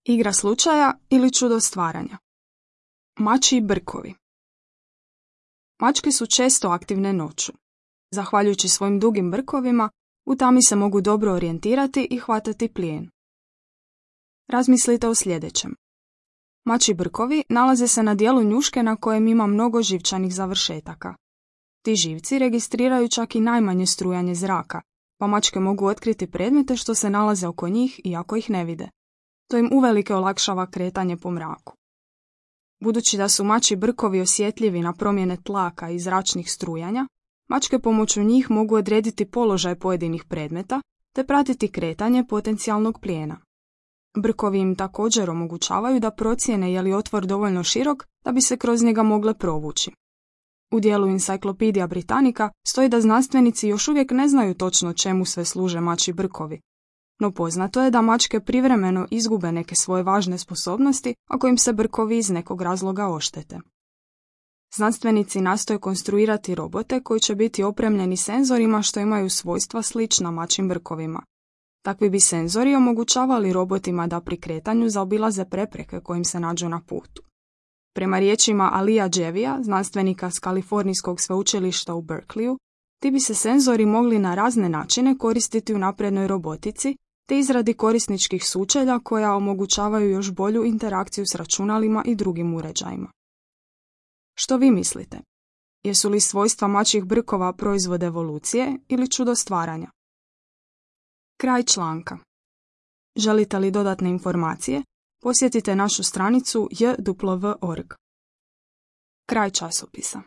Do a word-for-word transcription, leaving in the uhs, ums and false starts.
Igra slučaja ili čudo stvaranja. Mačji brkovi. Mačke su često aktivne noću. Zahvaljujući svojim dugim brkovima, u tami se mogu dobro orijentirati i hvatati plijen. Razmislite o sljedećem. Mačji brkovi nalaze se na dijelu njuške na kojem ima mnogo živčanih završetaka. Ti živci registriraju čak i najmanje strujanje zraka, pa mačke mogu otkriti predmete što se nalaze oko njih iako ih ne vide. To im uvelike olakšava kretanje po mraku. Budući da su mačji brkovi osjetljivi na promjene tlaka i zračnih strujanja, mačke pomoću njih mogu odrediti položaj pojedinih predmeta te pratiti kretanje potencijalnog plijena. Brkovi im također omogućavaju da procijene je li otvor dovoljno širok da bi se kroz njega mogle provući. U dijelu Encyclopedia Britannica stoji da znanstvenici još uvijek ne znaju točno čemu sve služe mačji brkovi, no poznato je da mačke privremeno izgube neke svoje važne sposobnosti ako im se brkovi iz nekog razloga oštete. Znanstvenici nastoje konstruirati robote koji će biti opremljeni senzorima što imaju svojstva slična mačjim brkovima. Takvi bi senzori omogućavali robotima da pri kretanju zaobilaze prepreke kojim se nađu na putu. Prema riječima Alija Dževija, znanstvenika s Kalifornijskog sveučilišta u Berkeleyu, ti bi se senzori mogli na razne načine koristiti u naprednoj robotici te izradi korisničkih sučelja koja omogućavaju još bolju interakciju s računalima i drugim uređajima. Što vi mislite? Jesu li svojstva mačjih brkova proizvod evolucije ili čudo stvaranja? Kraj članka. Želite li dodatne informacije? Posjetite našu stranicu j w w dot org. Kraj časopisa.